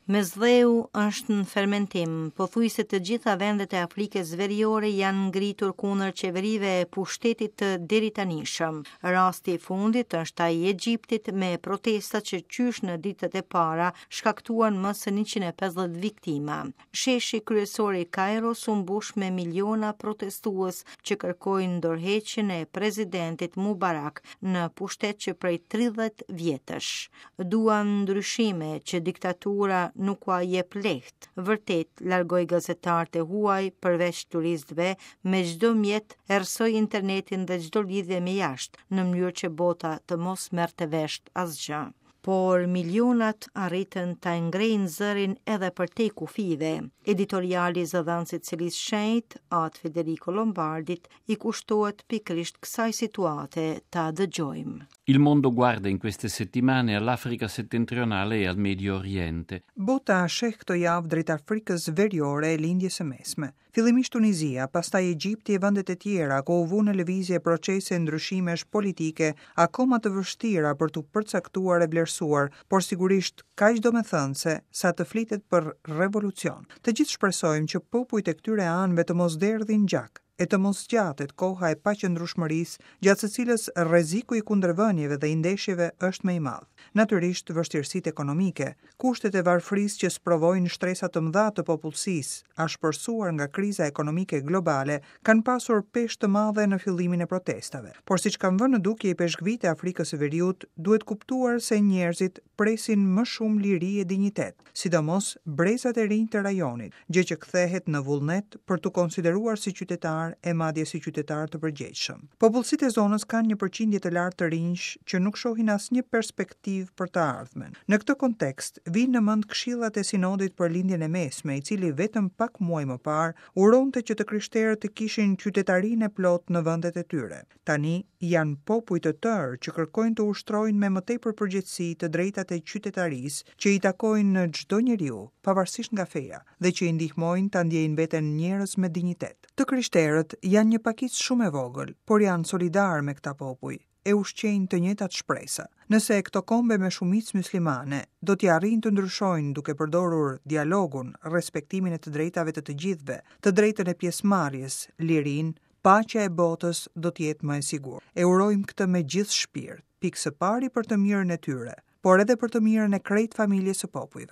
Mesdheu është në fermentim, pothuajse të gjitha vendet e Afrikës Veriore janë ngritur kundër qeverive e pushtetit të deritanishëm. Rasti i fundit është ai i Egjiptit me protesta që qysh në ditët e para shkaktuan më se 150 viktima. Sheshi kryesor i Kajros u mbush me miliona protestues që kërkojnë dorëheqjen e presidentit Mubarak në pushtet që prej 30 vjetësh. Duan ndryshime që diktatura nuk ua jep lehtë. Vërtet, largoi gazetarët e huaj përveç turistëve, me çdo mjet errësoi internetin dhe çdo lidhje me jashtë, në mënyrë që bota të mos merrte vesh asgjë. Por milionat arritën ta ngrejnë zërin edhe përtej kufijve. Editoriali i zëdhënësit të Selisë së Shenjtë, Atë Federico Lombardit, i kushtohet pikërisht kësaj situate ta dëgjojmë. Il mondo guarda in queste settimane all'Africa settentrionale e al Medio Oriente. Bota sheh këto javë drejt Afrikës Veriore e Lindjes së Mesme. Fillimisht Tunizia, pastaj Egjipti e vendet e tjera ku u vunë në lëvizje procese ndryshimesh politike akoma të vështira për t'u përcaktuar e vlerësuar, por sigurisht kaq domethënëse sa të flitet për revolucion. Të gjithë shpresojmë që popujt e këtyre anëve të mos derdhin gjak e të mos zgjatet koha e paqëndrueshmërisë gjatë së cilës rreziku i kundërvënieve dhe i ndeshjeve është më i madh. Natyrisht, vështirësitë ekonomike, kushtet e varfërisë që sprovojnë shtresa të mëdha të popullsisë, ashpërsuar nga kriza ekonomike globale, kanë pasur peshë të madhe në fillimin e protestave. Por siç kanë vënë në dukje ipeshkvijtë e Afrikës së Veriut, duhet kuptuar se njerëzit presin më shumë liri e dinjitet, sidomos brezat e rinj të rajonit, gjë që kthehet në vullnet për t'u konsideruar si qytetarë e madje si qytetarë të përgjegjshëm. Popullsitë e zonës kanë një përqindje të lartë të rinjsh që nuk shohin asnjë perspektivë për të ardhmen. Në këtë kontekst, vijnë në mend këshillat e Sinodit për Lindjen e Mesme, i cili vetëm pak muaj më parë uronte që të krishterët të kishin qytetarinë e plotë në vendet e tyre. Tani janë popuj të tërë që kërkojnë të ushtrojnë me më tepër përgjegjësi të drejtat e qytetarisë që i takojnë çdo njeriu, pavarësisht nga feja, dhe që i ndihmojnë ta ndjejnë veten njerëz me dinjitet. Të krishterët janë një pakicë shumë e vogël, por janë solidarë me këta popuj, e ushqejnë të njëjtat shpresa. Nëse këto kombe me shumicë myslimane do t'ia arrijnë të ndryshojnë duke përdorur dialogun, respektimin e të drejtave të të gjithëve, të drejtën e pjesëmarrjes, lirinë, paqja e botës do të jetë më e sigurt. E urojmë këtë me gjithë shpirt, pikë së pari për të mirën e tyre, por edhe për të mirën e krejt familjes së popujve.